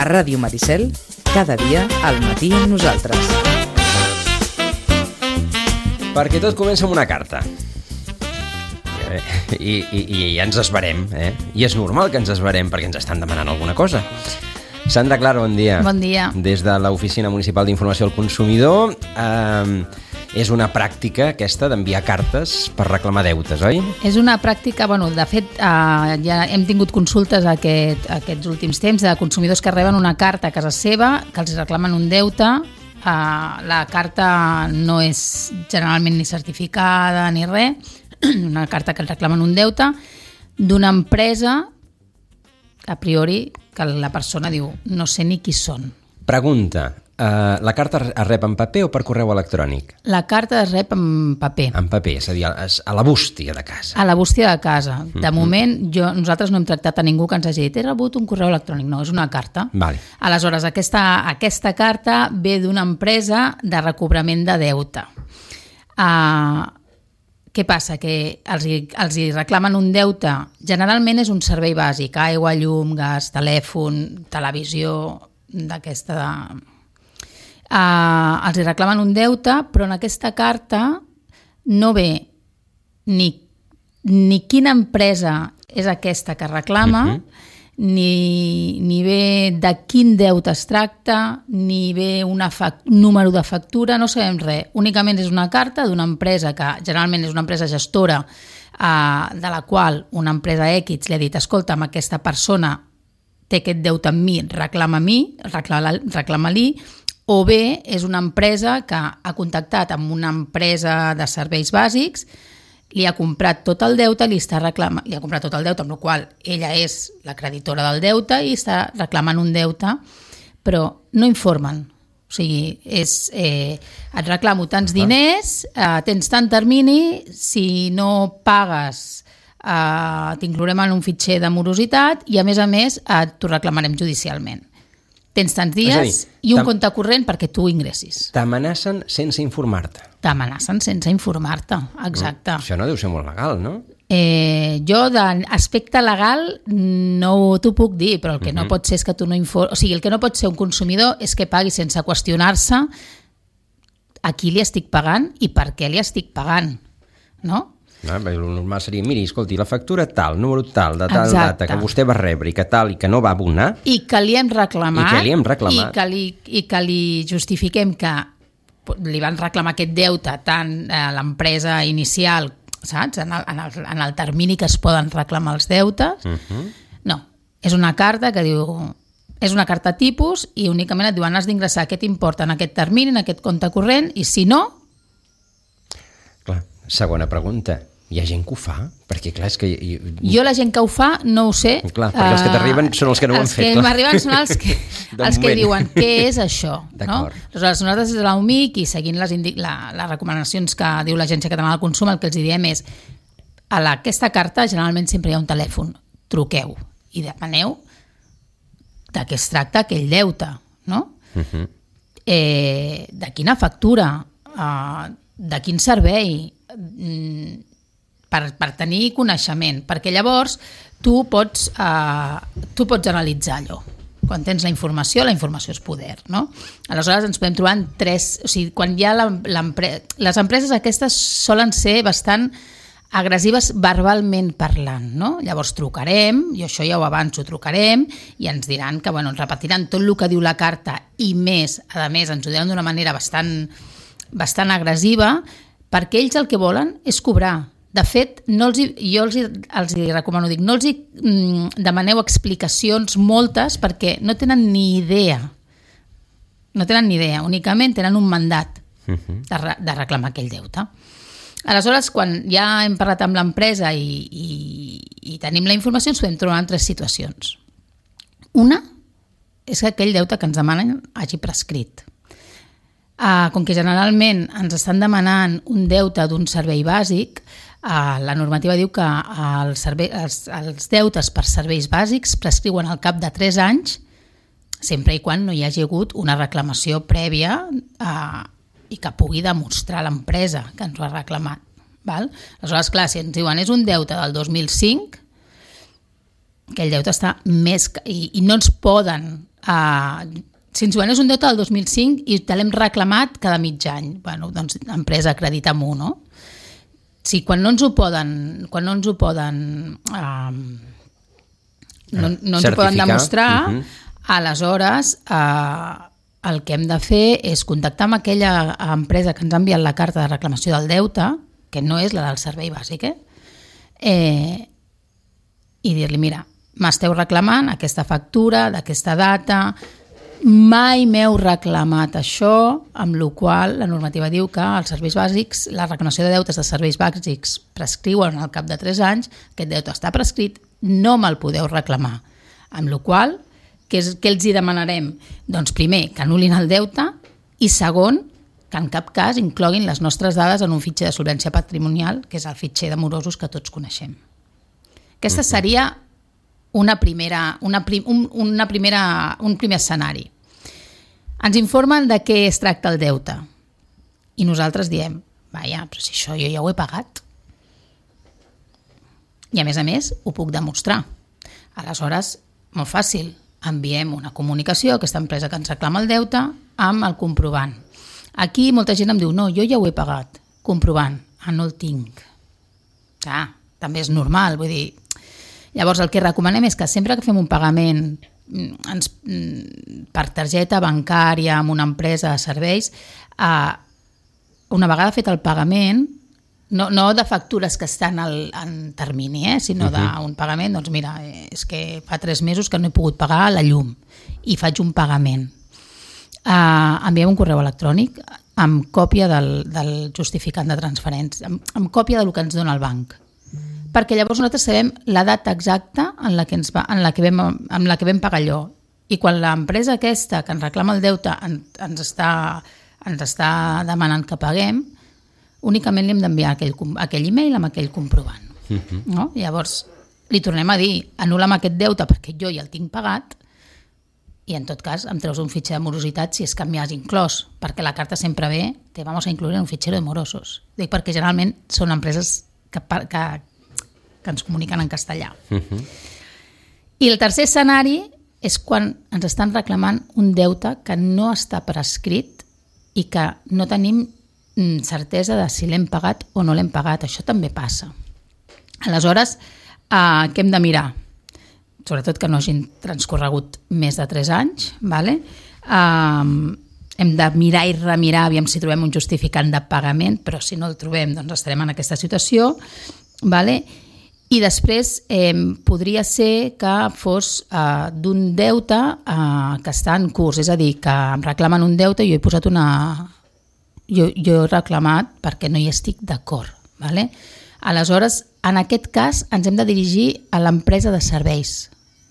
Ràdio Maricel, cada dia al matí amb nosaltres. Perquè tot comença amb una carta. I ja ens esverem, I és normal que ens esverem perquè ens estan demanant alguna cosa. Sandra Clara, bon dia. Bon dia. Des de l'Oficina Municipal d'Informació al Consumidor, és una pràctica aquesta d'enviar cartes per reclamar deutes, oi? És una pràctica, de fet, ja hem tingut consultes aquests últims temps de consumidors que reben una carta a casa seva, que els reclamen un deute. La carta no és generalment ni certificada ni res, una carta que els reclamen un deute d'una empresa a priori que la persona diu no sé ni qui són. Pregunta, la carta es rep en paper o per correu electrònic? La carta es rep en paper. En paper, és a dir, a la bústia de casa. A la bústia de casa. De moment, nosaltres no hem tractat a ningú que ens hagi dit he rebut un correu electrònic. No, és una carta. Vale. Aleshores, aquesta carta ve d'una empresa de recobrament de deute. Què passa? Que els hi reclamen un deute. Generalment és un servei bàsic, aigua, llum, gas, telèfon, televisió, d'aquesta... els hi reclamen un deute, però en aquesta carta no ve ni quina empresa és aquesta que reclama, ni ve de quin deute es tracta, ni ve un número de factura, no sabem res. Únicament és una carta d'una empresa que generalment és una empresa gestora de la qual una empresa X li ha dit escolta, amb aquesta persona té aquest deute amb mi, reclama-li, o bé és una empresa que ha contactat amb una empresa de serveis bàsics, li ha comprat tot el deute, li ha comprat tot el deute, amb la qual ella és la creditora del deute i està reclamant un deute, però no informen. O sigui, et reclamo tants diners, tens tant termini, si no pagues t'inclourem en un fitxer de morositat i a més t'ho reclamarem judicialment. Tens tants dies i un compte corrent perquè tu ingressis. T'amenacen sense informar-te. T'amenacen sense informar-te, exacte. Això no deu ser molt legal, no? Jo d'aspecte legal no t'ho puc dir, però el que no pot ser és que tu no informes... O sigui, el que no pot ser un consumidor és que pagui sense qüestionar-se a qui li estic pagant i per què li estic pagant, no? El normal seria, miri, escolti, la factura tal, número tal, de tal data, que vostè va rebre i que tal, i que no va abonar... I que li hem reclamat. I que li justifiquem que li van reclamar aquest deute tant a l'empresa inicial, saps? En el termini que es poden reclamar els deutes. No, és una carta que diu... És una carta tipus i únicament et diuen has d'ingressar aquest import en aquest termini, en aquest compte corrent, i si no... Clar, segona pregunta. Hi ha gent que ho fa? Perquè clar, és que... Jo la gent que ho fa no ho sé. Clar, perquè els que t'arriben són els que no ho han fet. Els que m'arriben són els que diuen què és això. No? Aleshores, nosaltres des de l'UMIC i seguint les recomanacions que diu l'Agència Catalana del Consum, el que els diem és a aquesta carta generalment sempre hi ha un telèfon. Truqueu i demaneu de què es tracta aquell deute. No? De quina factura, de quin servei, per tenir coneixement, perquè llavors tu pots analitzar allò. Quan tens la informació és poder, no? Aleshores ens podem trobar en tres... O sigui, quan hi ha les empreses aquestes solen ser bastant agressives verbalment parlant, no? Llavors trucarem, i això ja ho avanço, trucarem i ens diran que, ens repetiran tot el que diu la carta i més, a més, ens ho diran d'una manera bastant agressiva, perquè ells el que volen és cobrar. De fet, jo els recomano, no els demaneu explicacions moltes perquè no tenen ni idea. No tenen ni idea, únicament tenen un mandat de reclamar aquell deute. Aleshores, quan ja hem parlat amb l'empresa i tenim la informació, ens podem trobar en tres situacions. Una és que aquell deute que ens demanen hagi prescrit. Com que generalment ens estan demanant un deute d'un servei bàsic, la normativa diu que els deutes per serveis bàsics prescriuen al cap de 3 anys, sempre i quan no hi hagi hagut una reclamació prèvia i que pugui demostrar l'empresa que ens ho ha reclamat. Aleshores, clar, si ens diuen és un deute del 2005, aquell deute està més... I no ens poden si ens guanyes un deute del 2005 i te l'hem reclamat cada mig any, bueno, doncs l'empresa acredita-m'ho, no? Si quan no ens ho poden demostrar, aleshores el que hem de fer és contactar amb aquella empresa que ens ha enviat la carta de reclamació del deute, que no és la del servei bàsic, i dir-li, mira, m'esteu reclamant aquesta factura d'aquesta data, mai m'heu reclamat això, amb la qual la normativa diu que els serveis bàsics, la reclamació de deutes de serveis bàsics prescriuen al cap de 3 anys, aquest deute està prescrit, no me'l podeu reclamar. Amb la qual, què els hi demanarem? Doncs primer, que anul·lin el deute i segon, que en cap cas incloguin les nostres dades en un fitxer de solvència patrimonial, que és el fitxer de morosos que tots coneixem. Aquesta seria un primer escenari. Ens informen de què es tracta el deute i nosaltres diem, vaja, però si això jo ja ho he pagat. I a més, ho puc demostrar. Aleshores, molt fàcil, enviem una comunicació a aquesta empresa que ens reclama el deute amb el comprovant. Aquí molta gent em diu, no, jo ja ho he pagat. Comprovant, no el tinc. També és normal, vull dir. Llavors el que recomanem és que sempre que fem un pagament per targeta bancària amb una empresa de serveis, una vegada fet el pagament, no de factures que estan en termini, sinó d'un pagament, doncs mira, és que fa 3 mesos que no he pogut pagar la llum i faig un pagament. Enviem un correu electrònic amb còpia del justificant de transferència, amb còpia del que ens dona el banc, perquè llavors nosaltres sabem la data exacta en la que vam pagar allò. I quan l'empresa aquesta que ens reclama el deute ens està demanant que paguem, únicament li hem d'enviar aquell e-mail amb aquell comprovant. No? Llavors li tornem a dir, anul·la'm aquest deute perquè jo ja el tinc pagat i en tot cas em treus un fitxer de morositat si és que m'hi has inclòs, perquè la carta sempre ve, te vamos a incluir en un fichero de morosos. Dic perquè generalment són empreses que ens comuniquen en castellà. I el tercer escenari és quan ens estan reclamant un deute que no està prescrit i que no tenim certesa de si l'hem pagat o no l'hem pagat. Això també passa. Aleshores, què hem de mirar? Sobretot que no hagin transcorregut més de 3 anys. Vale? Hem de mirar i remirar aviam si trobem un justificant de pagament, però si no el trobem doncs estarem en aquesta situació. Vale? I després podria ser que fos d'un deute que està en curs, és a dir, que em reclamen un deute i jo he posat jo he reclamat perquè no hi estic d'acord. Vale? Aleshores, en aquest cas ens hem de dirigir a l'empresa de serveis,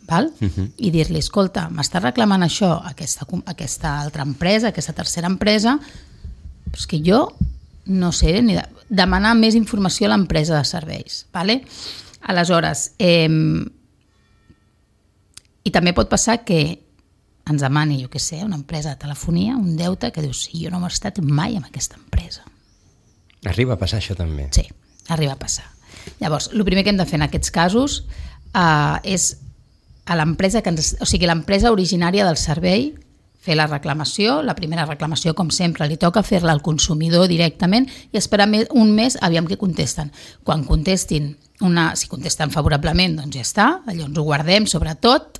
val? I dir-li, escolta, m'està reclamant això aquesta altra empresa, aquesta tercera empresa, però és que jo no sé, ni demanar més informació a l'empresa de serveis. Vale? Aleshores, i també pot passar que ens demani, jo què sé, una empresa de telefonia, un deute que dius, sí, jo no m'he estat mai amb aquesta empresa. Arriba a passar això també? Sí, arriba a passar. Llavors, el primer que hem de fer en aquests casos és a l'empresa l'empresa originària del servei fer la reclamació, la primera reclamació com sempre li toca fer-la al consumidor directament i esperar un mes aviam què contesten. Quan contestin si contesten favorablement doncs ja està, allò ens ho guardem sobretot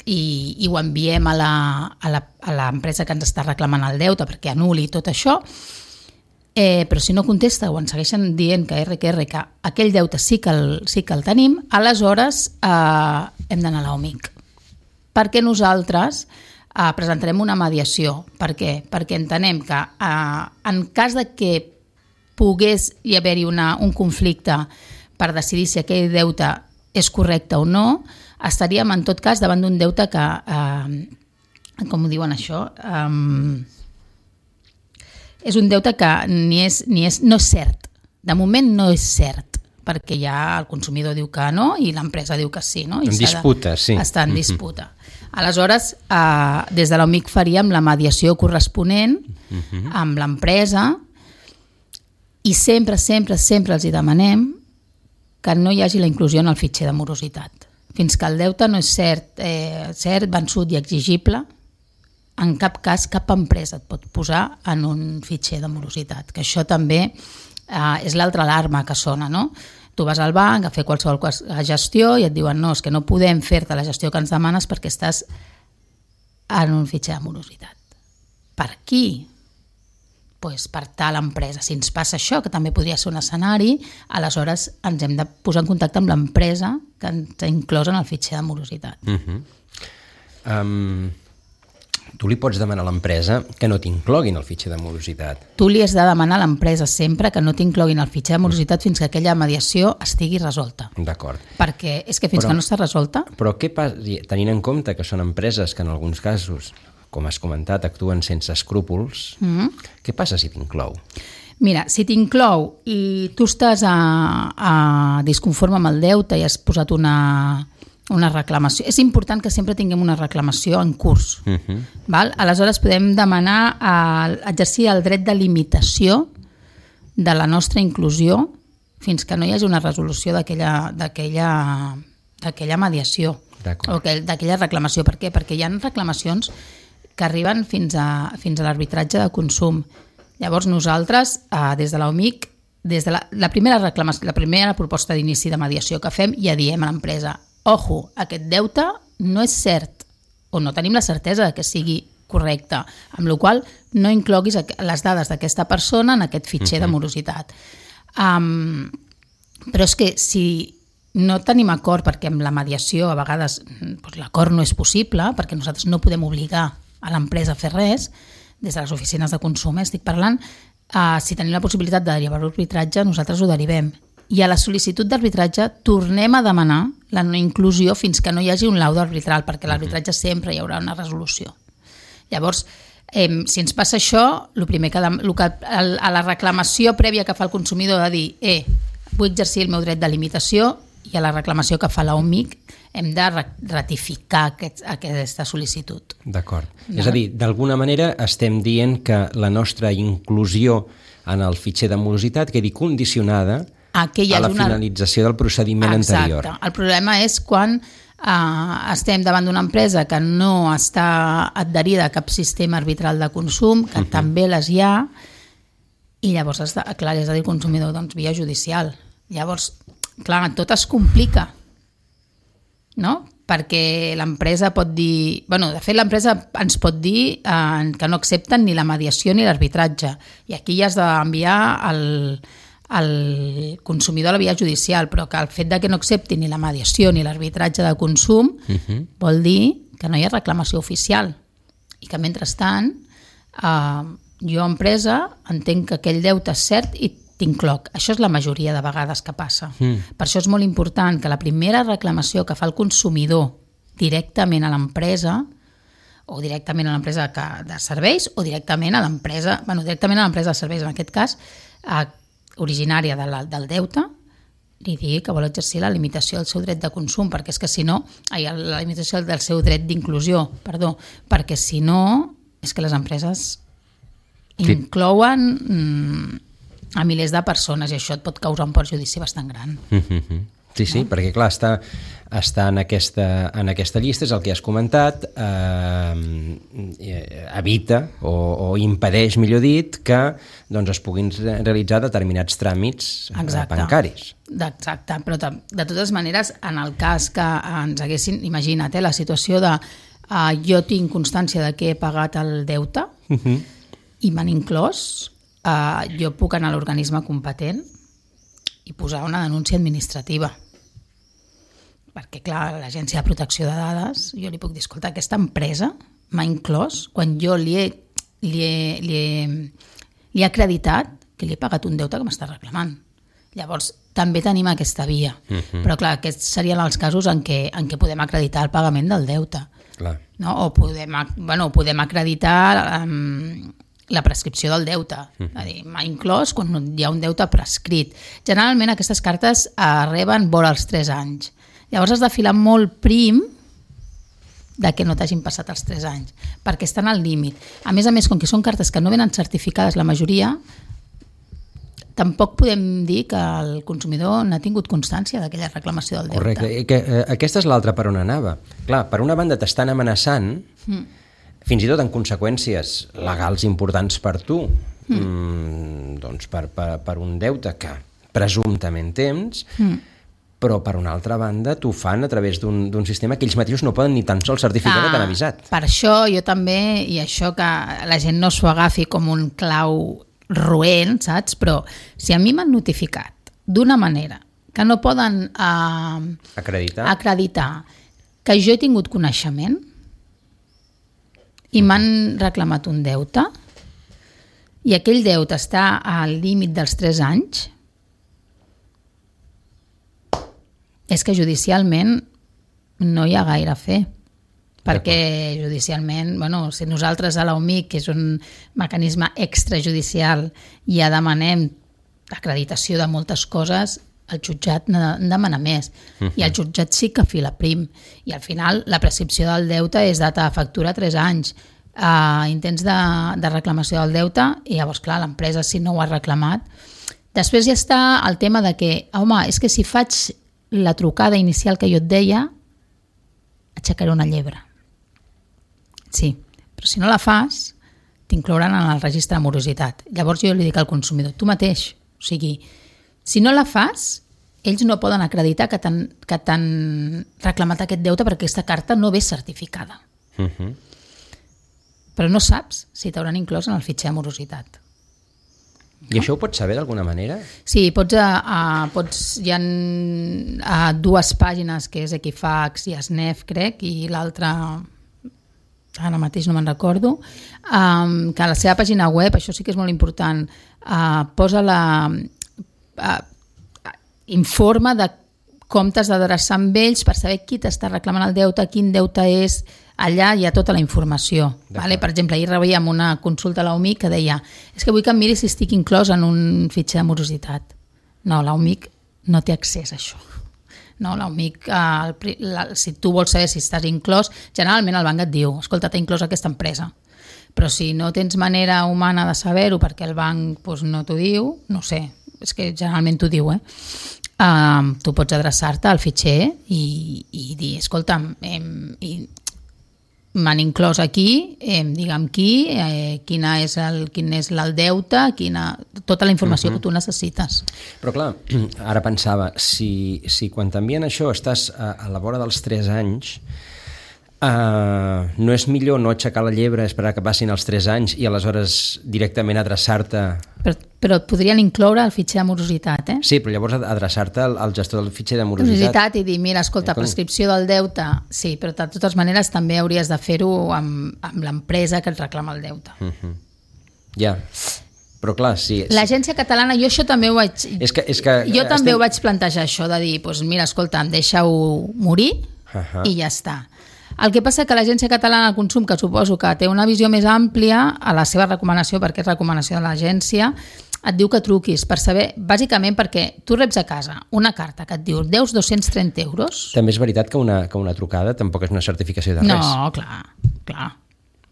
i ho enviem a l'empresa que ens està reclamant el deute perquè anul·li tot això, però si no contesta o ens segueixen dient que aquell deute sí que el tenim, aleshores hem d'anar a l'OMIC, perquè nosaltres presentarem una mediació. Per què? Perquè entenem que en cas de que pogués hi haver-hi un conflicte per decidir si aquell deute és correcte o no, estaríem en tot cas davant d'un deute que, com ho diuen això, és un deute que no és cert. De moment no és cert, perquè ja el consumidor diu que no i l'empresa diu que sí. No? En disputa, sí. Està en disputa. Aleshores, des de l'OMIC faríem la mediació corresponent amb l'empresa i sempre els hi demanem que no hi hagi la inclusió en el fitxer de morositat. fins que el deute no és cert, vençut i exigible, en cap cas cap empresa et pot posar en un fitxer de morositat, que això també és l'altra alarma que sona, no? Tu vas al banc a fer qualsevol gestió i et diuen no, és que no podem fer-te la gestió que ens demanes perquè estàs en un fitxer de morositat. Per qui? Pues per tal empresa. Si ens passa això, que també podria ser un escenari, aleshores ens hem de posar en contacte amb l'empresa que ens ha inclòs en el fitxer de morositat. Tu li pots demanar a l'empresa que no t'incloguin el fitxer de morositat. Tu li has de demanar a l'empresa sempre que no t'incloguin el fitxer de morositat fins que aquella mediació estigui resolta. D'acord. Perquè és que fins que no està resolta... Però què passa, tenint en compte que són empreses que en alguns casos, com has comentat, actuen sense escrúpols, què passa si t'inclou? Mira, si t'inclou i tu estàs disconforme amb el deute i has posat una reclamació, és important que sempre tinguem una reclamació en curs. Val? Aleshores podem demanar exercir el dret de limitació de la nostra inclusió fins que no hi hagi una resolució d'aquella mediació o d'aquella reclamació. Per què? Perquè hi ha reclamacions que arriben fins a l'arbitratge de consum. Llavors nosaltres, des de l'OMIC, des de la primera proposta d'inici de mediació que fem, ja diem a l'empresa, ojo, aquest deute no és cert, o no tenim la certesa de que sigui correcte, amb la qual cosa no incloguis les dades d'aquesta persona en aquest fitxer de morositat. Però és que si no tenim acord, perquè amb la mediació a vegades l'acord no és possible, perquè nosaltres no podem obligar a l'empresa a fer res, des de les oficines de consum, estic parlant, si tenim la possibilitat de derivar l'arbitratge, nosaltres ho derivem. I a la sol·licitud d'arbitratge tornem a demanar la no inclusió fins que no hi hagi un laudo arbitral, perquè l'arbitratge sempre hi haurà una resolució. Llavors, si ens passa això, el primer que a la reclamació prèvia que fa el consumidor de dir vull exercir el meu dret de limitació, i a la reclamació que fa l'OMIC hem de ratificar aquesta sol·licitud. D'acord. És a dir, d'alguna manera estem dient que la nostra inclusió en el fitxer de morositat quedi condicionada a la finalització del procediment anterior. Exacte. El problema és quan estem davant d'una empresa que no està adherida a cap sistema arbitral de consum, que també les hi ha, i llavors, clar, és a dir, el consumidor, doncs, via judicial. Llavors, clar, tot es complica, no? Perquè l'empresa pot dir... de fet, l'empresa ens pot dir que no accepten ni la mediació ni l'arbitratge. I aquí ja has d'enviar el consumidor a la via judicial, però que el fet de que no accepti ni la mediació ni l'arbitratge de consum vol dir que no hi ha reclamació oficial. I que, mentrestant, jo, empresa, entenc que aquell deute és cert i t'incloc. Això és la majoria de vegades que passa. Per això és molt important que la primera reclamació que fa el consumidor directament a l'empresa, o directament a l'empresa de serveis, o directament a l'empresa, directament a l'empresa de serveis, en aquest cas, originària del deute, li digui que vol exercir la limitació del seu dret de consum, perquè és que si no, la limitació del seu dret d'inclusió, perdó, perquè si no, és que les empreses inclouen a milers de persones i això et pot causar un perjudici bastant gran. Sí, perquè clar, està en aquesta llista, és el que has comentat, evita o impedeix, millor dit, que es puguin realitzar determinats tràmits bancaris. Exacte, però de totes maneres, en el cas que ens haguessin, imagina't, la situació de jo tinc constància de que he pagat el deute i m'han inclòs, jo puc anar a l'organisme competent i posar una denúncia administrativa. Perquè, clar, l'Agència de Protecció de Dades, jo li puc dir, escolta, aquesta empresa m'ha inclòs quan jo li he acreditat que li he pagat un deute que m'està reclamant. Llavors, també tenim aquesta via. Però, clar, aquests serien els casos en què podem acreditar el pagament del deute. No? O podem acreditar la prescripció del deute. És a dir, m'ha inclòs quan hi ha un deute prescrit. Generalment aquestes cartes reben vora els 3 anys. Llavors has de filar molt prim de que no t'hagin passat els 3 anys, perquè estan al límit. A més, com que són cartes que no venen certificades la majoria, tampoc podem dir que el consumidor n'ha tingut constància d'aquella reclamació del deute. Correcte, aquesta és l'altra per on anava. Clar, per una banda t'estan amenaçant, fins i tot en conseqüències legals importants per tu, doncs per un deute que presumptament tens, però per una altra banda t'ho fan a través d'un sistema que ells mateixos no poden ni tan sols certificar que t'han avisat. Per això jo també, i això que la gent no s'ho agafi com un clau roent, saps? Però si a mi m'han notificat d'una manera que no poden acreditar que jo he tingut coneixement i m'han reclamat un deute i aquell deute està al límit dels 3 anys, és que judicialment no hi ha gaire a fer. Perquè judicialment, si nosaltres a l'OMIC, que és un mecanisme extrajudicial, ja demanem acreditació de moltes coses, el jutjat en demana més. I el jutjat sí que fila prim. I al final la prescripció del deute és data de factura 3 anys. Intents de reclamació del deute i llavors, clar, l'empresa si no ho ha reclamat. Després ja està el tema de que, home, és que si faig la trucada inicial que jo et deia, aixecaré una llebre. Sí, però si no la fas, t'inclouran en el registre de morositat. Llavors jo li dic al consumidor, tu mateix, o sigui, si no la fas, ells no poden acreditar que t'han reclamat aquest deute perquè aquesta carta no ve certificada. Però no saps si t'hauran inclòs en el fitxer de morositat. I això ho pots saber d'alguna manera? Sí, hi ha 2 pàgines, que és Equifax i SNEF, crec, i l'altra, ara mateix no me'n recordo, que a la seva pàgina web, això sí que és molt important, posa informa de com t'has d'adreçar amb ells per saber qui t'està reclamant el deute, quin deute és. Allà hi ha tota la informació. Vale? Per exemple, ahir rebíem una consulta a l'OMIC que deia és que vull que em miri si estic inclòs en un fitxer de morositat. No, l'OMIC no té accés a això. No, l'OMIC, si tu vols saber si estàs inclòs, generalment el banc et diu, escolta, t'ha inclòs aquesta empresa. Però si no tens manera humana de saber-ho perquè el banc no t'ho diu, no sé, és que generalment t'ho diu, tu pots adreçar-te al fitxer i dir, escolta'm, m'han inclòs aquí, digue'm quin és el deute, tota la informació que tu necessites. Però clar, ara pensava, si quan t'envien això estàs a la vora dels 3 anys, no és millor no aixecar la llebre, esperar que passin els 3 anys i aleshores directament adreçar-te... Però et podrien incloure el fitxer de morositat, Sí, però llavors adreçar-te al gestor del fitxer de morositat. I dir, mira, escolta, prescripció del deute, sí, però de totes maneres també hauries de fer-ho amb l'empresa que et reclama el deute. Ja, però clar, sí. L'Agència Catalana, jo això també ho vaig... Jo també ho vaig plantejar, això de dir, mira, escolta, deixa-ho morir i ja està. El que passa que l'Agència Catalana del Consum, que suposo que té una visió més àmplia a la seva recomanació, perquè és recomanació de l'agència, et diu que truquis per saber, bàsicament perquè tu reps a casa una carta que et diu deus 230 euros... També és veritat que una trucada tampoc és una certificació de res. No, clar.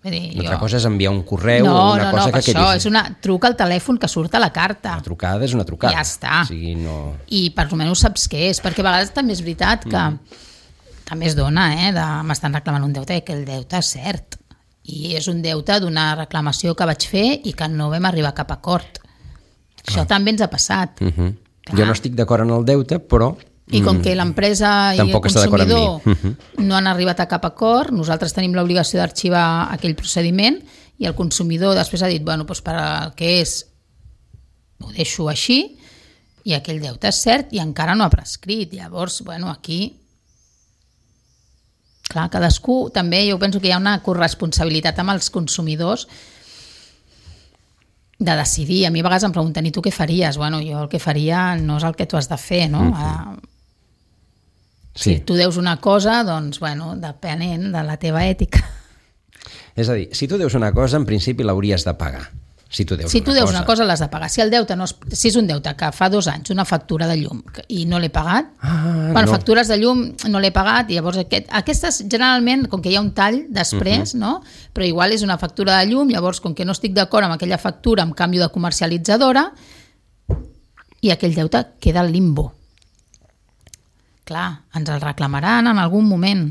Una cosa és enviar un correu o una cosa que això és truca al telèfon que surt a la carta. Una trucada és una trucada. Ja està. O sigui, no... I per almenys saps què és, perquè a vegades també és veritat que també es dona, m'estan reclamant un deute i que el deute és cert. I és un deute d'una reclamació que vaig fer i que no vam arribar a cap acord. Això també ens ha passat. Jo no estic d'acord en el deute, però... I com que l'empresa i el consumidor no han arribat a cap acord, nosaltres tenim l'obligació d'arxivar aquell procediment i el consumidor després ha dit, per al que és, ho deixo així i aquell deute és cert i encara no ha prescrit. Llavors, aquí... Clar, cadascú, també jo penso que hi ha una corresponsabilitat amb els consumidors de decidir. A mi a vegades em pregunten, i tu què faries? Jo el que faria no és el que tu has de fer, no? Si tu deus una cosa, doncs, depenent de la teva ètica. És a dir, si tu deus una cosa, en principi l'hauries de pagar. Si tu deus una cosa l'has de pagar. Si és un deute que fa 2 anys, una factura de llum i no l'he pagat, factures de llum no l'he pagat, i llavors aquestes generalment, com que hi ha un tall després, no? Però igual és una factura de llum, llavors com que no estic d'acord amb aquella factura, em canvio de comercialitzadora i aquell deute queda al limbo. Clar, ens el reclamaran en algun moment.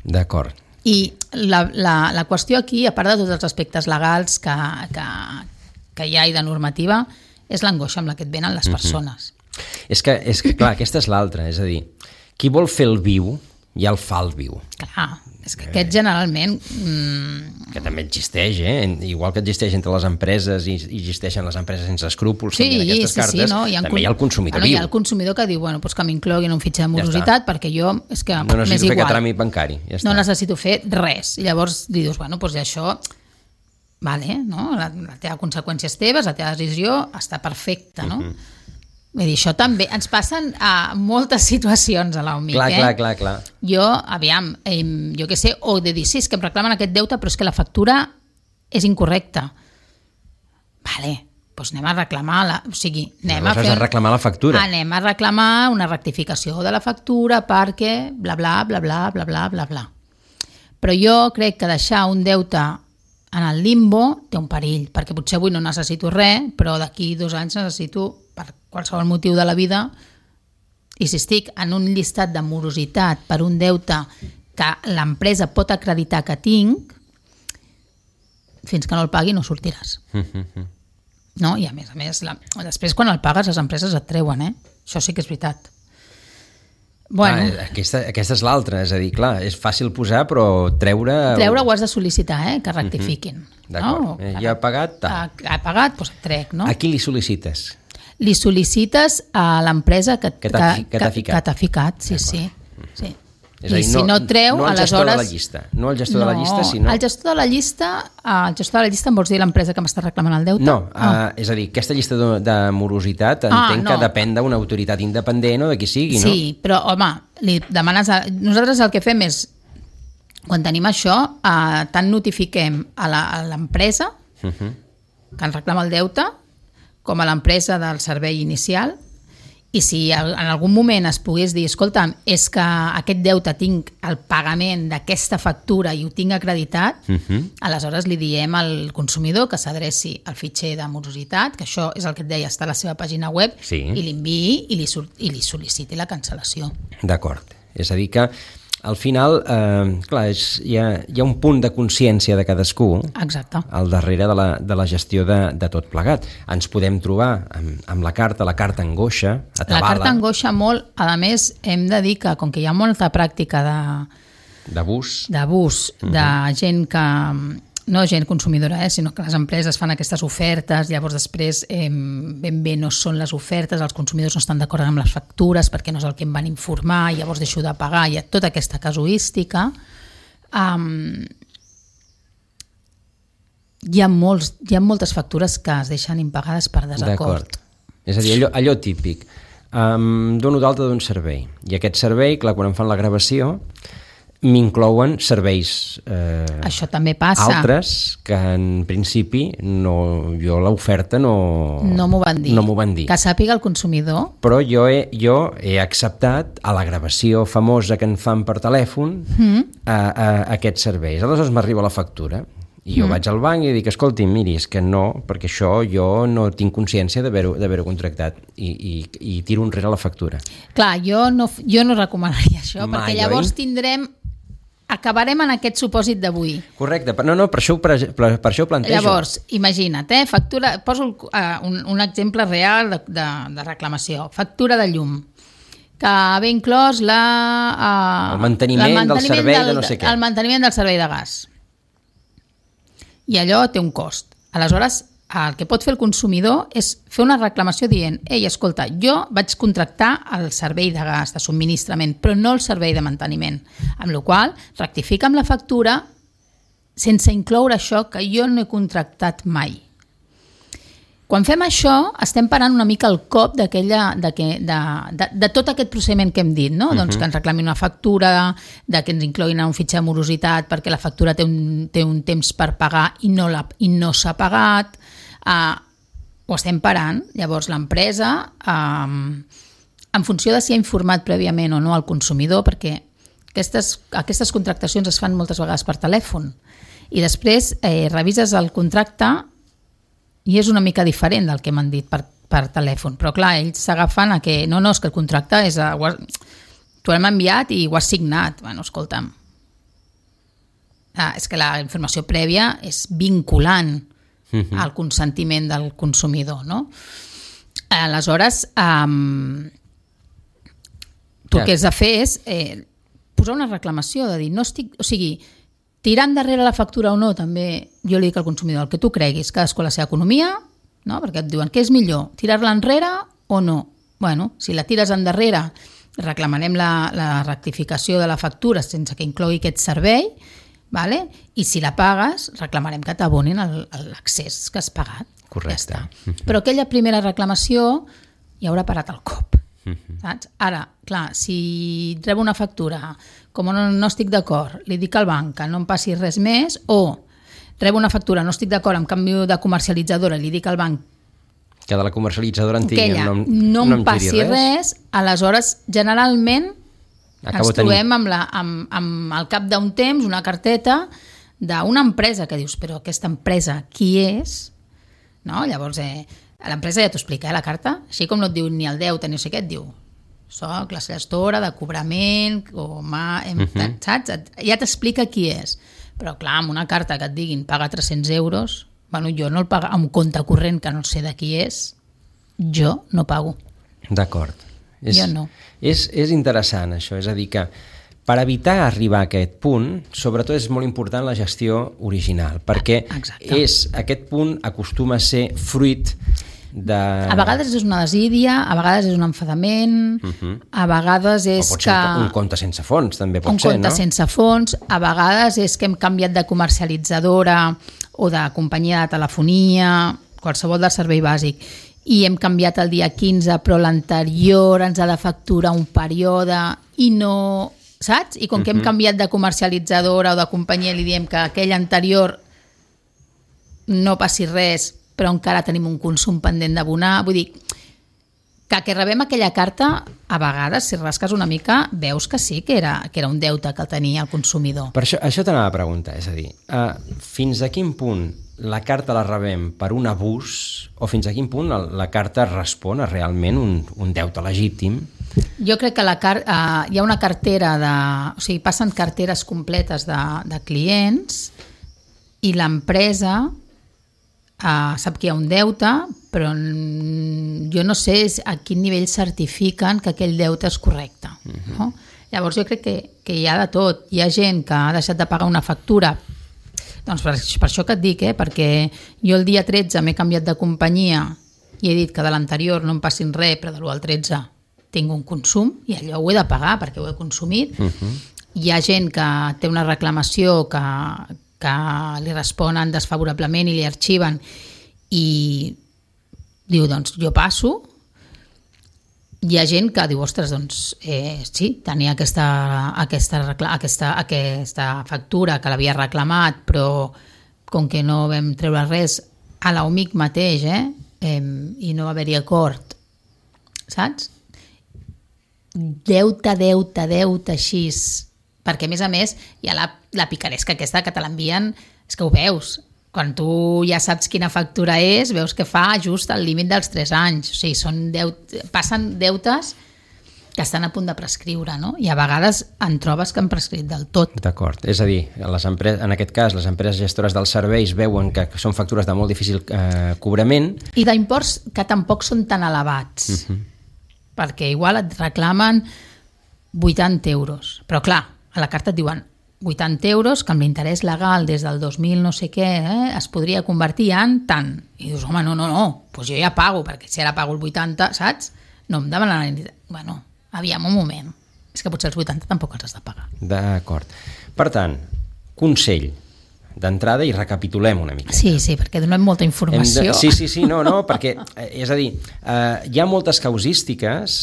D'acord. I la qüestió aquí, a part de tots els aspectes legals que hi ha i de normativa, és l'angoixa amb la que et venen les persones. És que, clar, aquesta és l'altra, és a dir, qui vol fer el viu, ja el fa el viu. Clar, és que aquest generalment... Que també existeix, igual que existeix entre les empreses i existeixen les empreses sense escrúpols, aquestes cartes, no? també hi ha el consumidor viu. Hi ha el consumidor que diu, bueno, doncs que m'incloguin un fitxer de morositat perquè jo, és que no m'és necessito fer igual. cap tràmit bancari. Ja està. No necessito fer res. I llavors li dius, bueno, doncs això... Vale, no? La teva conseqüència és teves, la teva decisió està perfecta, no? Vull dir, això també ens passen a moltes situacions a l'OMIC. Clar. Jo, aviam, jo què sé, o de dir, sí, és que em reclamen aquest deute, però és que la factura és incorrecta. Vale, doncs anem a reclamar-la. O sigui, anem a reclamar la factura. Anem a reclamar una rectificació de la factura perquè bla, bla, bla, bla, bla, bla, bla, bla. Però jo crec que deixar un deute en el limbo té un perill, perquè potser avui no necessito res, però d'aquí 2 anys necessito, per qualsevol motiu de la vida, i si estic en un llistat de morositat per un deute que l'empresa pot acreditar que tinc, fins que no el pagui no sortiràs. No? I a més, després quan el pagues les empreses et treuen, Això sí que és veritat. Bueno. Aquesta és l'altra, és a dir, clar, és fàcil posar, però treure ho has de sol·licitar, que rectifiquin. D'acord, No? Ja ha pagat? Ha pagat, doncs et trec, no? A qui li sol·licites? Li sol·licites a l'empresa que t'ha ficat. Sí. És a dir, si no treu, no el gestor de la llista. No el gestor de la llista, sinó... El gestor de la llista em vols dir l'empresa que m'està reclamant el deute? No, és a dir, aquesta llista de morositat entenc que depèn d'una autoritat independent o de qui sigui, no? Sí, però, home, li demanes... Nosaltres el que fem és, quan tenim això, tant notifiquem a l'empresa que ens reclama el deute, com a l'empresa del servei inicial, i si en algun moment es pogués dir, escolta'm, és que aquest deute tinc el pagament d'aquesta factura i ho tinc acreditat, aleshores li diem al consumidor que s'adreci al fitxer de morositat, que això és el que et deia, està a la seva pàgina web, i l'enviï i li sol·liciti la cancel·lació. D'acord. És a dir que al final, clar, hi ha un punt de consciència de cadascú. Exacte. Al darrere de la gestió de tot plegat. Ens podem trobar amb la carta angoixa, atabala. La carta angoixa molt, a més, hem de dir que com que hi ha molta pràctica d'abús, de gent que... No gent consumidora, sinó que les empreses fan aquestes ofertes, llavors després ben bé no són les ofertes, els consumidors no estan d'acord amb les factures perquè no és el que em van informar, llavors deixo de pagar, hi ha tota aquesta casuística. Hi ha moltes factures que es deixen impagades per desacord. D'acord. És a dir, allò típic. Dono d'alta d'un servei, i aquest servei, clar, quan em fan la gravació, m'inclouen serveis això també passa. Altres que en principi jo l'oferta no m'ho van dir. Que sàpiga el consumidor. Però jo he acceptat a la gravació famosa que en fan per telèfon aquests serveis. Aleshores m'arriba la factura i jo vaig al banc i dic, escolti, miri, és que no, perquè això jo no tinc consciència d'haver-ho contractat i tiro enrere la factura. Clar, jo no recomanaria això, perquè llavors acabarem en aquest supòsit d'avui. Correcte, no, per això ho plantejo. Llavors, imagina't, factura, poso un exemple real de reclamació. Factura de llum, que ve inclòs el manteniment del servei de no sé què. El manteniment del servei de gas. I allò té un cost. Aleshores, el que pot fer el consumidor és fer una reclamació dient, ei, escolta, jo vaig contractar el servei de gas, de subministrament, però no el servei de manteniment. Amb la qual cosa, rectifica amb la factura sense incloure això que jo no he contractat mai. Quan fem això, estem parant una mica el cop de tot aquest procediment que hem dit, no? Doncs que ens reclamin una factura, que ens incloguin un fitxer de morositat perquè la factura té un temps per pagar i no s'ha pagat. Ho estem parant. Llavors l'empresa, en funció de si ha informat prèviament o no al consumidor, perquè aquestes contractacions es fan moltes vegades per telèfon i després revises el contracte i és una mica diferent del que m'han dit per per telèfon, però clar, ells s'agafen a que no, és que el contracte és t'ho hem enviat i ho has signat. Bueno, escolta'm, és que la informació prèvia és vinculant al consentiment del consumidor, no? Aleshores, tu el que has de fer és posar una reclamació, de dir, no estic... O sigui, tirar endarrere la factura o no, també jo li dic al consumidor, el que tu creguis, cadascú la seva economia, no? Perquè et diuen, què és millor, tirar-la enrere o no? Bueno, si la tires endarrere, reclamarem la rectificació de la factura sense que inclogui aquest servei, vale? I si la pagues, reclamarem que t'abonin l'accés que has pagat. Correcte. Ja però aquella primera reclamació ja haurà parat el cop. Saps? Ara, clar, si rebo una factura, com no estic d'acord, li dic al banc que no em passi res més, o rebo una factura, no estic d'acord amb canvi de comercialitzadora, li dic al banc que de la comercialitzadora en que ella no em passi res, aleshores generalment ens trobem amb al cap d'un temps una carteta d'una empresa que dius, però aquesta empresa qui és? No? Llavors l'empresa ja t'ho explica, la carta, així com no et diu ni el deute ni no sé què, et diu soc la gestora de cobrament saps? Ja t'explica qui és, però clar, amb una carta que et diguin paga 300 euros, bueno, jo no el pago amb compte corrent que no sé de qui és, jo no pago. D'acord. Jo no. És interessant això, és a dir que per evitar arribar a aquest punt, sobretot és molt important la gestió original, perquè aquest punt acostuma a ser fruit de... A vegades és una desídia, a vegades és un enfadament, a vegades és o pot ser un compte sense fons, també pot ser, no? Un compte sense fons, a vegades és que hem canviat de comercialitzadora o de companyia de telefonia, qualsevol de servei bàsic, i hem canviat el dia 15, però l'anterior ens ha de facturar un període i no... Saps? I com que hem canviat de comercialitzadora o de companyia li diem que aquell anterior no passi res, però encara tenim un consum pendent d'abonar, vull dir que rebem aquella carta, a vegades, si rasques una mica, veus que sí, que era un deute que tenia el consumidor. Per això t'anava a preguntar, és a dir, fins a quin punt la carta la rebem per un abús o fins a quin punt la carta respon a realment un deute legítim? Jo crec que hi ha una cartera o sigui, passen carteres completes de clients i l'empresa sap que hi ha un deute, però jo no sé a quin nivell certifiquen que aquell deute és correcte. No? Llavors jo crec que hi ha de tot. Hi ha gent que ha deixat de pagar una factura, doncs per això que et dic, perquè jo el dia 13 m'he canviat de companyia i he dit que de l'anterior no em passin res, però de l'1 al 13 tinc un consum i allò ho he de pagar perquè ho he consumit. Hi ha gent que té una reclamació que li responen desfavorablement i li arxiven i diu, doncs jo passo. Hi ha gent que diu, ostres, doncs sí, tenia aquesta factura que l'havia reclamat, però com que no vam treure res a l'OMIC mateix i no va haver-hi acord, saps? Deute així, perquè a més hi ha la picaresca aquesta que te l'envien, és que ho veus, quan tu ja saps quina factura és, veus que fa just al límit dels 3 anys, o sigui, passen deutes que estan a punt de prescriure, no? I a vegades en trobes que han prescrit del tot. D'acord, és a dir, en aquest cas les empreses gestores dels serveis veuen que són factures de molt difícil cobrament. I d'imports que tampoc són tan elevats. Perquè igual et reclamen 80 euros. Però clar, a la carta et diuen 80 euros que amb l'interès legal des del 2000 no sé què es podria convertir en tant. I dius, home, no, doncs jo ja pago, perquè si ara pago el 80, saps? No em demanen... Bueno, aviam un moment. És que potser els 80 tampoc els has de pagar. D'acord. Per tant, consell d'entrada i recapitulem una mica. Sí, perquè donem molta informació. Sí, no, perquè, és a dir, hi ha moltes causístiques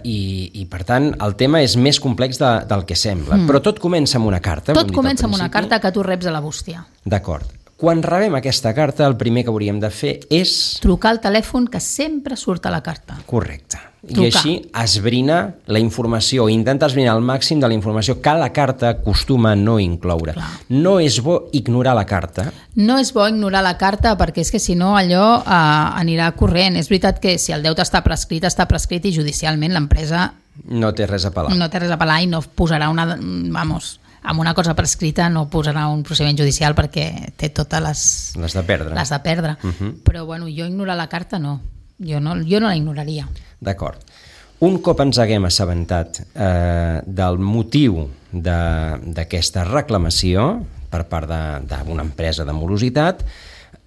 i per tant, el tema és més complex del que sembla. Però tot comença amb una carta. Tot comença amb una carta que tu reps a la bústia. D'acord. Quan rebem aquesta carta, el primer que hauríem de fer és... trucar al telèfon que sempre surt a la carta. Correcte. i així esbrina la informació, intenta esbrinar al màxim de la informació que la carta acostuma a no incloure. Clar. No és bo ignorar la carta. No és bo ignorar la carta perquè és que si no allò anirà corrent. És veritat que si el deute està prescrit i judicialment l'empresa no té res a pelar. No té res a pelar i no posarà amb una cosa prescrita no posarà un procediment judicial perquè té totes les de perdre. Les de perdre. Però bueno, jo ignorar la carta no. Jo no la ignoraria. D'acord. Un cop ens haguem assabentat del motiu d'aquesta reclamació per part d'una empresa de morositat,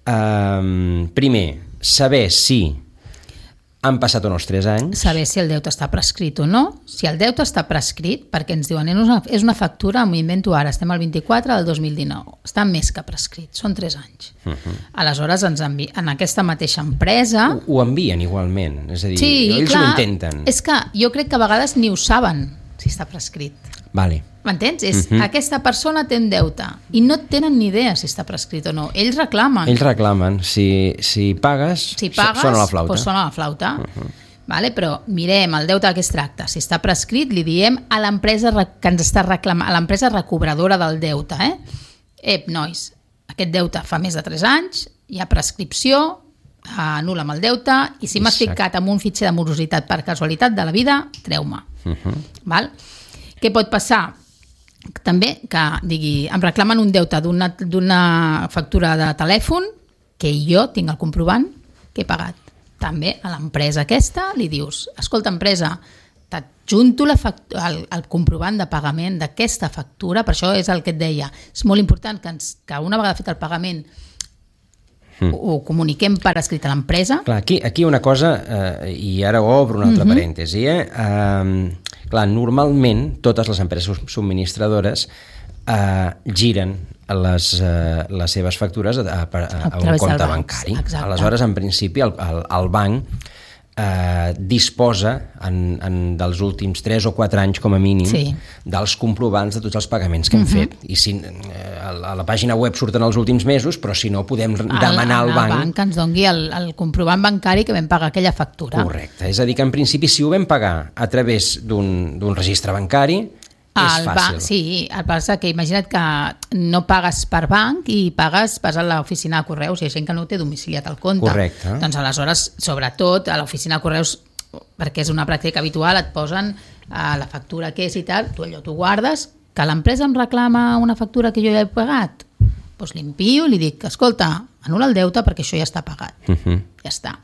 primer, saber si han passat o no els 3 anys. Saber si el deute està prescrit o no. Si el deute està prescrit, perquè ens diuen és una factura, m'ho invento ara, estem al 24 del 2019, està més que prescrit, són 3 anys. Aleshores, en aquesta mateixa empresa... Ho envien igualment, és a dir, ells clar, ho intenten. És que jo crec que a vegades ni ho saben si està prescrit. Vale. M'entens? Aquesta persona té un deute i no tenen ni idea si està prescrit o no. Ells reclamen. Ells reclamen. Si pagues, sona la flauta. Doncs sona la flauta. Vale? Però mirem el deute de què es tracta. Si està prescrit, li diem a l'empresa que ens està reclamant, a l'empresa recobradora del deute. Nois, aquest deute fa més de 3 anys, hi ha prescripció, anul·la'm el deute i si m'has ficat en un fitxer de morositat per casualitat de la vida, treu-me. Val? Què pot passar? També que em reclamen un deute d'una factura de telèfon que jo tinc el comprovant que he pagat. També a l'empresa aquesta li dius, escolta empresa, t'adjunto el comprovant de pagament d'aquesta factura, per això és el que et deia, és molt important que una vegada fet el pagament ho comuniquem per escrit a l'empresa. Clar, aquí una cosa, i ara obro un altre parèntesi, clar, normalment totes les empreses subministradores giren les seves factures a un compte bancari. Aleshores, en principi, el banc disposa dels últims 3 o 4 anys com a mínim dels comprovants de tots els pagaments que hem fet. I si a la pàgina web surten els últims mesos, però si no podem demanar al banc... El banc que ens doni el comprovant bancari que vam pagar aquella factura. Correcte, és a dir que en principi si ho vam pagar a través d'un registre bancari és fàcil. Sí, el que passa que imagina't que no pagues per banc i vas a l'oficina de correus i hi ha gent que no té domiciliat al compte. Correcte. Doncs aleshores, sobretot, a l'oficina de correus, perquè és una pràctica habitual, et posen la factura que és i tal, tu allò t'ho guardes, que l'empresa em reclama una factura que jo ja he pagat, doncs l'envio i li dic, escolta, anul·la el deute perquè això ja està pagat. Ja està.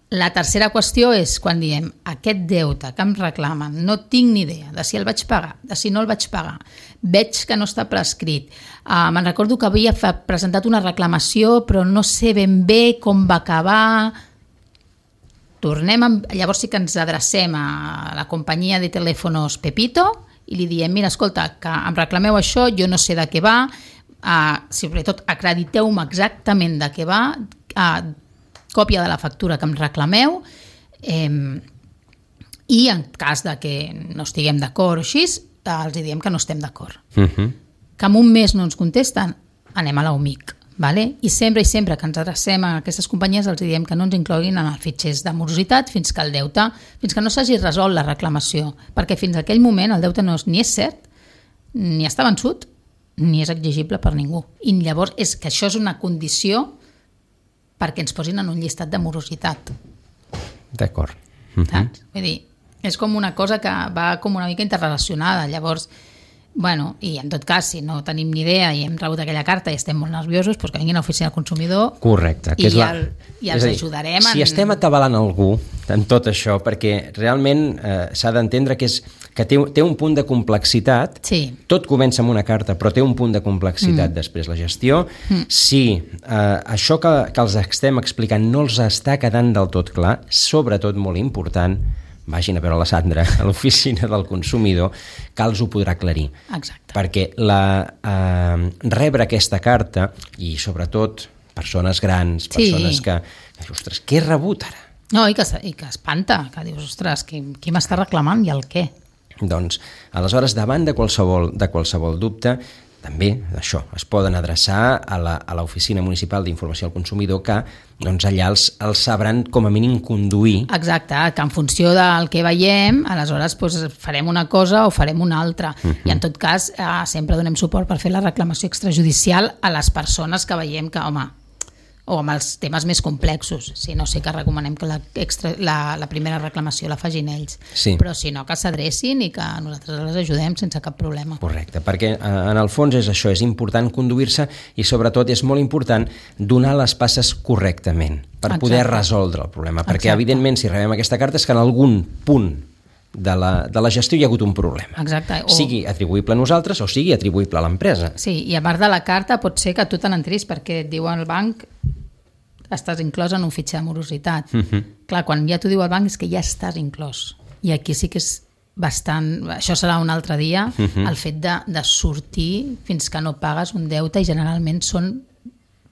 La tercera qüestió és quan diem aquest deute que em reclamen, no tinc ni idea de si el vaig pagar, de si no el vaig pagar, veig que no està prescrit. Me'n recordo que havia presentat una reclamació però no sé ben bé com va acabar. Llavors sí que ens adrecem a la companyia de telèfonos Pepito i li diem, mira, escolta, que em reclameu això, jo no sé de què va, sobretot acrediteu-me exactament de què va, còpia de la factura que em reclameu i en cas de que no estiguem d'acord o així, els diem que no estem d'acord. Que en un mes no ens contesten, anem a la UMIC. Vale? I sempre que ens adrecem a aquestes companyies els diem que no ens incloguin en els fitxers de morositat fins que no s'hagi resolt la reclamació, perquè fins a aquell moment el deute ni és cert, ni està vençut, ni és exigible per ningú. I llavors és que això és una condició perquè ens posin en un llistat de morositat. D'acord. Saps? Vull dir, és com una cosa que va com una mica interrelacionada. Llavors, bueno, i en tot cas, si no tenim ni idea i hem rebut aquella carta i estem molt nerviosos, doncs que vinguin a l'oficina del consumidor. Correcte. I els ajudarem. Si estem atabalant algú en tot això, perquè realment s'ha d'entendre que té un punt de complexitat, tot comença amb una carta, però té un punt de complexitat després la gestió. Si això que els estem explicant no els està quedant del tot clar, sobretot molt important, vagin a veure la Sandra a l'oficina del consumidor, que els ho podrà aclarir. Exacte. Perquè rebre aquesta carta, i sobretot persones grans, persones que ostres, què he rebut ara? No, i que espanta, que dius, ostres, qui m'està reclamant i el què? Doncs, aleshores, davant de qualsevol dubte, també, això, es poden adreçar a l'Oficina Municipal d'Informació al Consumidor, que doncs, allà els sabran com a mínim conduir. Exacte, que en funció del que veiem, aleshores doncs, farem una cosa o farem una altra. I en tot cas, sempre donem suport per fer la reclamació extrajudicial a les persones que veiem que, home, o amb els temes més complexos. Si no, sí que recomanem que la primera reclamació la facin ells. Sí. Però si no, que s'adrecin i que nosaltres les ajudem sense cap problema. Correcte, perquè en el fons és això, és important conduir-se i sobretot és molt important donar les passes correctament per poder resoldre el problema. Perquè evidentment si rebem aquesta carta és que en algun punt de la gestió hi ha hagut un problema. Exacte. Sigui atribuïble a nosaltres o sigui atribuïble a l'empresa. Sí, i a part de la carta pot ser que tu te n'enteris perquè et diu el banc estàs inclòs en un fitxer de morositat. Clar, quan ja t'ho diu el banc és que ja estàs inclòs. I aquí sí que és bastant... Això serà un altre dia, el fet de sortir fins que no pagues un deute i generalment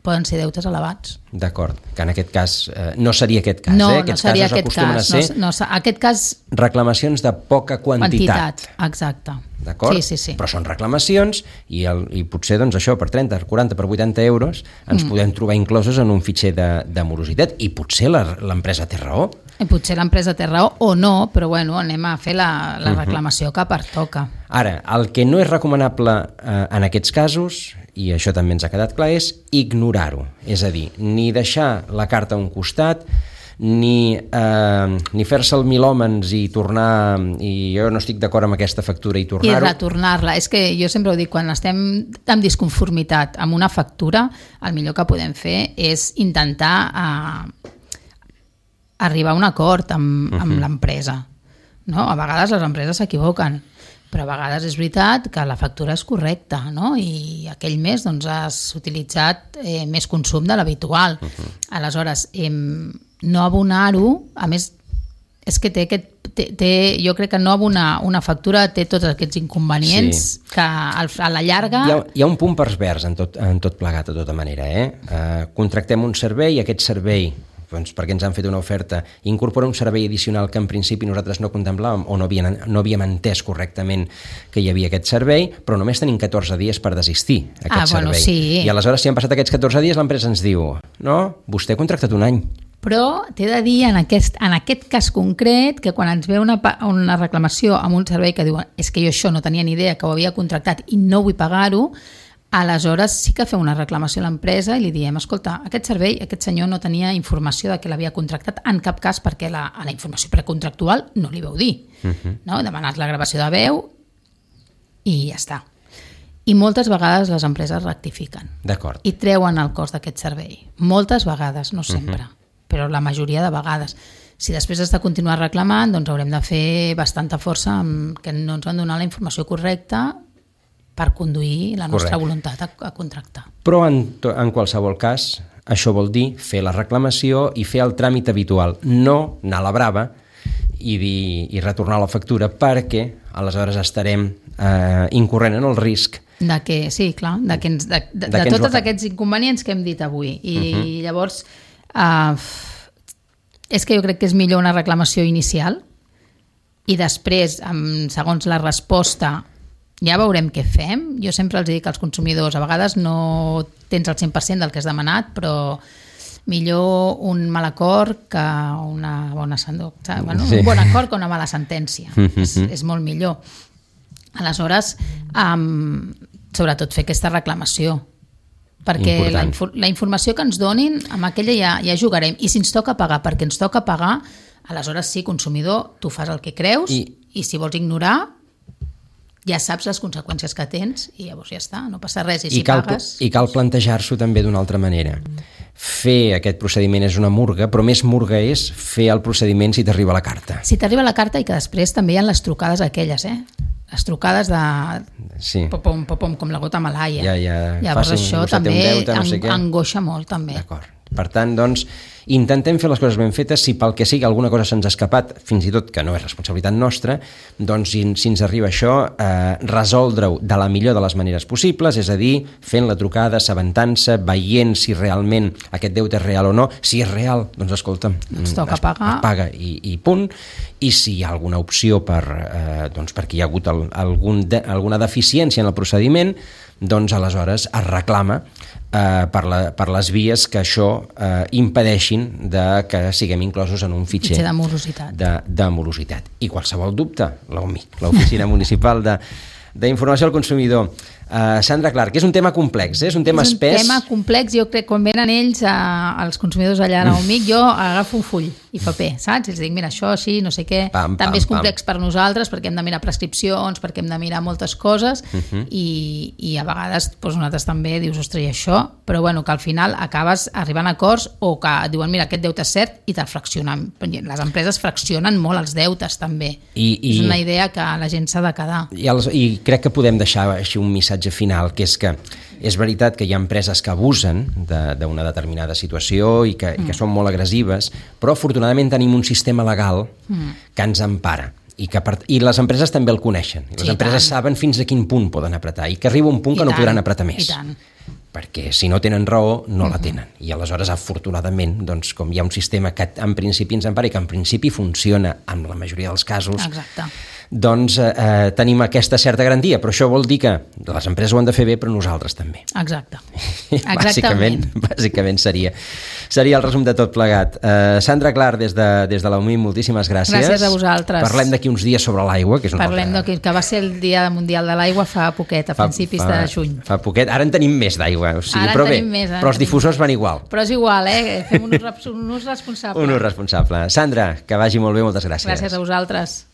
poden ser deutes elevats. D'acord, que en aquest cas no seria aquest cas, no, Aquests no seria casos acostumen a ser aquest cas... reclamacions de poca quantitat. Exacte. D'acord? Sí. Però són reclamacions i potser doncs, això per 30, per 40, per 80 euros ens podem trobar inclosos en un fitxer de morositat i potser l'empresa té raó. I potser l'empresa té raó o no, però bueno, anem a fer la reclamació que pertoca. Ara, el que no és recomanable en aquests casos, i això també ens ha quedat clar, és ignorar-ho. És a dir, ni deixar la carta a un costat, ni fer-se el milòmens i tornar, i jo no estic d'acord amb aquesta factura i tornar-ho. I retornar-la. És que jo sempre ho dic, quan estem en disconformitat amb una factura, el millor que podem fer és intentar arribar a un acord amb l'empresa. No? A vegades les empreses s'equivoquen, però a vegades és veritat que la factura és correcta, no? I aquell mes doncs, has utilitzat més consum de l'habitual. Aleshores, no abonar-ho, a més, és que jo crec que no abonar una factura té tots aquests inconvenients que a la llarga... Hi ha un punt pervers en tot plegat, de tota manera. Contractem un servei i aquest servei, doncs perquè ens han fet una oferta, incorpora un servei addicional que en principi nosaltres no contemplàvem o no havíem entès correctament que hi havia aquest servei, però només tenim 14 dies per desistir aquest servei. Bueno, sí. I aleshores, si han passat aquests 14 dies, l'empresa ens diu no, vostè ha contractat un any. Però t'he de dir en aquest cas concret que quan ens ve una reclamació amb un servei que diu és que jo això no tenia ni idea que ho havia contractat i no vull pagar-ho, aleshores sí que fem una reclamació a l'empresa i li diem, escolta, aquest servei, aquest senyor no tenia informació de que l'havia contractat en cap cas perquè a la informació precontractual no li veu dir. No? Demanes la gravació de veu i ja està. I moltes vegades les empreses rectifiquen. D'acord. I treuen el cost d'aquest servei. Moltes vegades, no sempre, però la majoria de vegades. Si després has de continuar reclamant, doncs haurem de fer bastanta força que no ens van donar la informació correcta per conduir la nostra voluntat a contractar. Però en qualsevol cas, això vol dir fer la reclamació i fer el tràmit habitual, no anar a la brava i retornar la factura, perquè aleshores estarem incorrent en el risc de tots aquests inconvenients que hem dit avui. I llavors és que jo crec que és millor una reclamació inicial i després, segons la resposta, ja veurem què fem. Jo sempre els dic als consumidors, a vegades no tens el 100% del que has demanat, però millor un mal acord que una bona sentència. Un bon acord que una mala sentència. És molt millor. Aleshores, sobretot fer aquesta reclamació, perquè la informació que ens donin, amb aquella ja jugarem. I si ens toca pagar, perquè ens toca pagar, aleshores sí, consumidor, tu fas el que creus i si vols ignorar, ja saps les conseqüències que tens i llavors ja està, no passa res. I cal plantejar-s'ho també d'una altra manera. Fer aquest procediment és una murga, però més murga és fer el procediment si t'arriba la carta. Si t'arriba la carta i que després també hi ha les trucades aquelles, les trucades de popom, com la gota malaia. Llavors això també angoixa molt. També. D'acord. Per tant, doncs, intentem fer les coses ben fetes. Si pel que sigui alguna cosa se'ns ha escapat, fins i tot que no és responsabilitat nostra, doncs si ens arriba això, resoldre-ho de la millor de les maneres possibles, és a dir, fent la trucada, assabentant-se, veient si realment aquest deute és real o no. Si és real, doncs escolta'm, ens toca pagar. Es paga i punt. I si hi ha alguna opció perquè hi ha hagut alguna deficiència en el procediment, doncs aleshores es reclama per les vies que això impedeixin que siguem inclosos en un fitxer de morositat. De morositat. I qualsevol dubte, l'OMIC, l'Oficina Municipal d'Informació al Consumidor. Sandra Clark, és un tema complex, és un tema espès. És un tema complex, jo crec que quan venen ells, els consumidors allà a l'OMIC, jo agafo un full i paper, saps? Els dic, mira, això així, no sé què, també és complex per nosaltres perquè hem de mirar prescripcions, perquè hem de mirar moltes coses i a vegades nosaltres també dius, ostres, i això? Però bueno, que al final acabes arribant a acords o que diuen, mira, aquest deute és cert i te'l fraccionen. Les empreses fraccionen molt els deutes també. És una idea que la gent s'ha de quedar. I crec que podem deixar així un missatge final, que és que és veritat que hi ha empreses que abusen d'una determinada situació i que són molt agressives, però afortunadament tenim un sistema legal que ens empara. I les empreses també el coneixen. Les empreses saben fins a quin punt poden apretar i que arriba un punt que no podran apretar més. Perquè si no tenen raó, no la tenen. I aleshores, afortunadament, doncs, com hi ha un sistema que en principi ens empara i que en principi funciona en la majoria dels casos, doncs tenim aquesta certa garantia. Però això vol dir que les empreses ho han de fer bé, però nosaltres també. Exacte. Bàsicament seria el resum de tot plegat. Sandra Clark, des de la UMI, moltíssimes gràcies. Gràcies a vosaltres. Parlem d'aquí uns dies sobre l'aigua, que és que va ser el Dia Mundial de l'Aigua fa poquet, a principis de juny. Fa poquet. Ara en tenim més d'aigua. Però bé, però els difusors van igual. Però és igual, fem un ús responsable. Un ús responsable. Sandra, que vagi molt bé, moltes gràcies. Gràcies a vosaltres.